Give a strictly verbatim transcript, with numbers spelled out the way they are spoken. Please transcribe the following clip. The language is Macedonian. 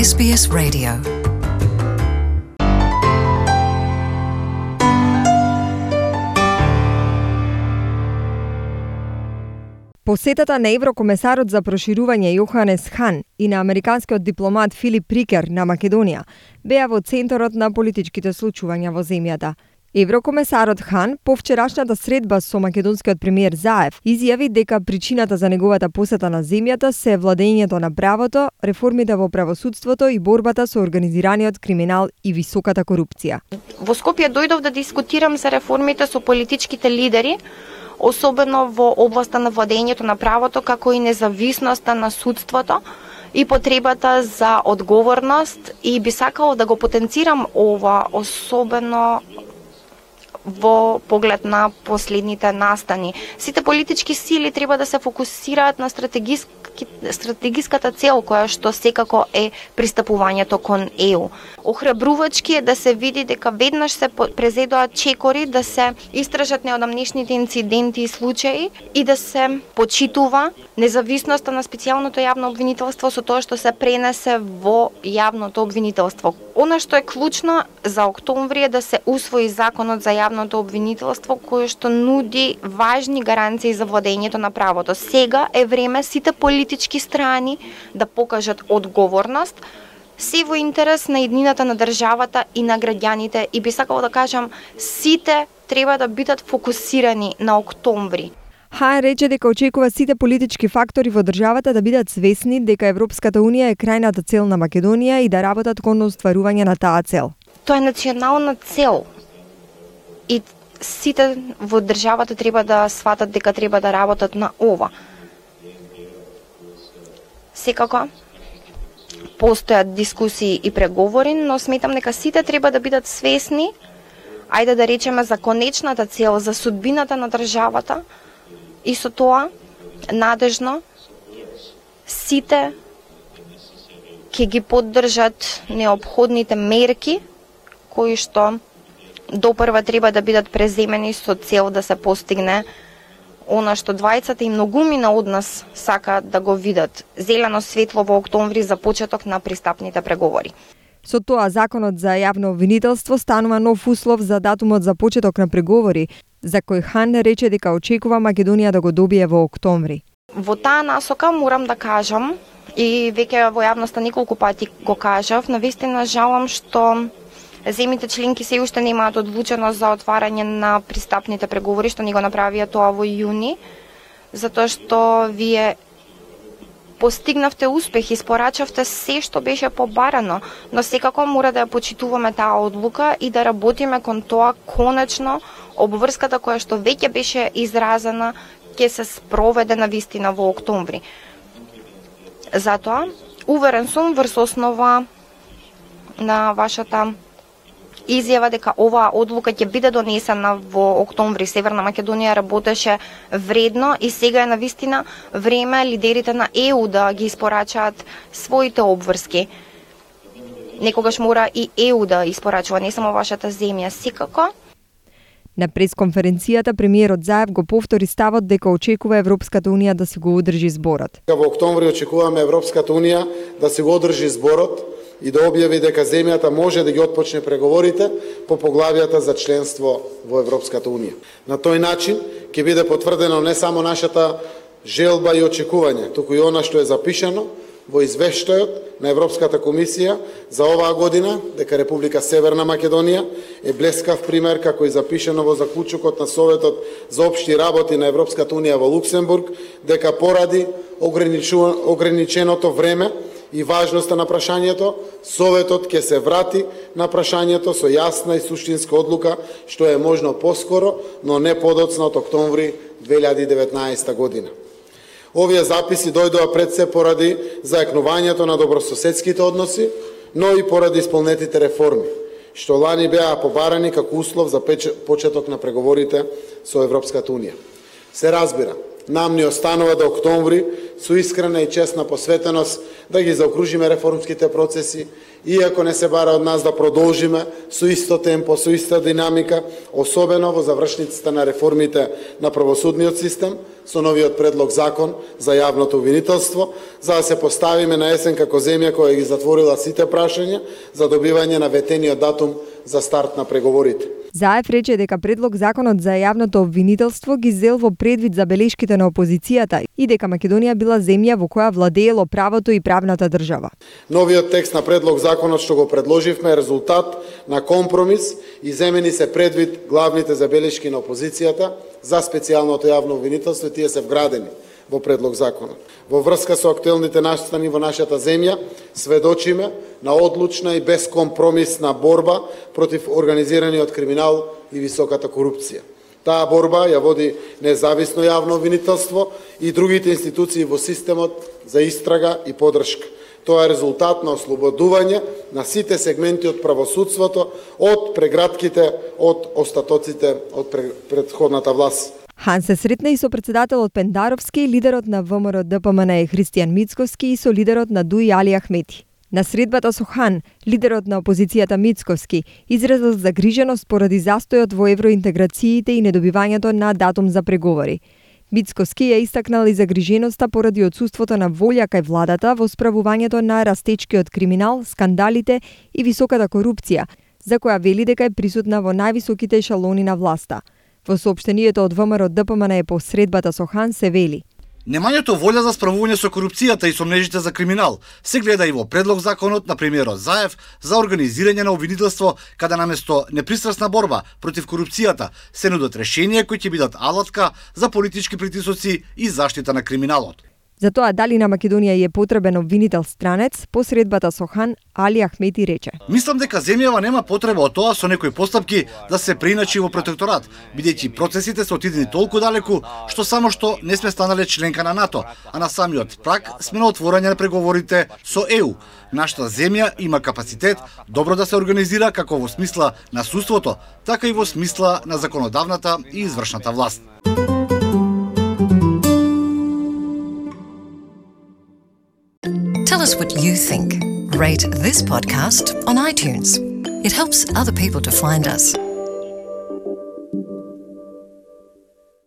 Ес Би Ес Radio. Посетата на еврокомесарот за проширување Јоханес Хан и на американскиот дипломат Филип Рикер на Македонија беа во центарот на политичките случувања во земјата. Еврокомесарот Хан по вчерашната средба со македонскиот премиер Заев изјави дека причината за неговата посета на земјата се владењето на правото, реформите во правосудството и борбата со организираниот криминал и високата корупција. Во Скопје дојдов да дискутирам за реформите со политичките лидери, особено во областа на владењето на правото, како и независноста на судството и потребата за одговорност, и би сакала да го потенцирам ова, особено во поглед на последните настани. Сите политички сили треба да се фокусираат на стратегиски, стратегиската цел која што секако е пристапувањето кон Е У. Охрабрувачки е да се види дека веднаш се презедоа чекори да се истражат неодамнешните инциденти и случаи и да се почитува независноста на специјалното јавно обвинителство со тоа што се пренесе во јавното обвинителство. Она што е клучно за октомври е да се усвои законот за јавното обвинителство, кој што нуди важни гаранции за владењето на правото. Сега е време сите политички страни да покажат одговорност, се во интерес на еднината на државата и на граѓаните, и би сакала да кажам, сите треба да бидат фокусирани на октомври. Хан рече дека очекува сите политички фактори во државата да бидат свесни дека Европската Унија е крајната цел на Македонија и да работат кон остварување на таа цел. Тоа е национална цел и сите во државата треба да сватат дека треба да работат на ова. Секако постојат дискусии и преговори, но сметам дека сите треба да бидат свесни, ајде да речеме, за конечната цел, за судбината на државата, и со тоа надежно сите ќе ги поддржат неопходните мерки кои што допрва треба да бидат преземени со цел да се постигне она што двајцата и многумина од нас сакаат да го видат, зелено светло во октомври за почеток на пристапните преговори. Со тоа законот за јавно обвинителство станува нов услов за датумот за почеток на преговори, за кој Хан рече дека очекува Македонија да го добие во октомври. Во таа насока морам да кажам, и веќе во јавноста неколку пати го кажав, навистина жалам што земјите членки се уште немаат одлученост за отварање на пристапните преговори, што ни го направија тоа во јуни, затоа што вие постигнавте успех, испорачавте се што беше побарано, но секако мора да ја почитуваме таа одлука и да работиме кон тоа конечно обврската која што веќе беше изразена ќе се спроведе на вистина во октомври. Затоа, уверен сум врз основа на вашата изјава дека оваа одлука ќе биде донесена во октомври. Северна Македонија работеше вредно и сега е навистина време лидерите на Е У да ги испорачаат своите обврски. Некогаш мора и Е У да испорачува, не само вашата земја. Секако. На пресконференцијата премиерот Заев го повтори ставот дека очекува Европската Унија да си го одржи зборот. Во октомври очекуваме Европската Унија да си го одржи зборот и да објави дека земјата може да ги отпочне преговорите по поглавијата за членство во Европската Унија. На тој начин ќе биде потврдено не само нашата желба и очекување, туку и она што е запишано во извештајот на Европската комисија за оваа година, дека Република Северна Македонија е блескав пример, како и запишано во заклучокот на Советот за општи работи на Европската Унија во Луксембург, дека поради ограниченото време и важноста на прашањето, Советот ќе се врати на прашањето со јасна и суштинска одлука, што е можно поскоро, но не подоцна од октомври две илјади и деветнаесета година. Овие записи дојдоа пред се поради зајакнувањето на добрососедските односи, но и поради исполнетите реформи, што лани беа побарани како услов за почеток на преговорите со Европската Унија. Се разбира, нам ни останува до октомври со искрена и честна посветеност да ги заокружиме реформските процеси, иако не се бара од нас да продолжиме со исто темпо, со иста динамика, особено во завршницата на реформите на правосудниот систем, со новиот предлог закон за јавното обвинителство, за да се поставиме на есен како земја која ги затворила сите прашања за добивање на ветениот датум за старт на преговорите. Заев рече дека предлог законот за јавното обвинителство ги зел во предвид забелешките на опозицијата и дека Македонија била земја во која владеело правото и правната држава. Новиот текст на предлог законот што го предложивме е резултат на компромис и земени се предвид главните забелешки на опозицијата за специјалното јавно обвинителство, тие се вградени во предлог законот. Во врска со актуелните настани во нашата земја, сведочиме на одлучна и безкомпромисна борба против организираниот криминал и високата корупција. Таа борба ја води независно јавно обвинителство и другите институции во системот за истрага и поддршка. Тоа е резултат на ослободување на сите сегменти од правосудството, од прегратките, од остатоците од претходната власт. Хан се сретна и со председателот Пендаровски, лидерот на ВМРО Д П М Н Христијан Мицковски и со лидерот на Д У И Али Ахмети. На средбата со Хан, лидерот на опозицијата Мицковски изразил загриженост поради застојот во евроинтеграциите и недобивањето на датум за преговори. Мицковски ја истакнал и загриженоста поради отсуството на волја кај владата во справувањето на растечкиот криминал, скандалите и високата корупција, за која вели дека е присутна во највисоките ешалони на власта. Во соопштението од ВМРО Д П М Н по средбата со Хан се вели: Немањето волја за справување со корупцијата и со мрежите за криминал се гледа и во предлог законот на премиерот Заев за организирање на обвинителство, каде наместо непристрасна борба против корупцијата се нудат решенија кои ќе бидат алатка за политички притисоци и заштита на криминалот. За тоа дали на Македонија е потребен обвинител странец, по средбата со Хан, Али Ахмети рече: Мислам дека земјава нема потреба од тоа со некои постапки да се приначи во протекторат, бидејќи процесите се отидени толку далеку што само што не сме станале членка на НАТО, а на самиот праг сме на отворање на преговорите со Е У. Нашата земја има капацитет добро да се организира како во смисла на судството, така и во смисла на законодавната и извршната власт. Tell us what you think. Rate this podcast on iTunes. It helps other people to find us.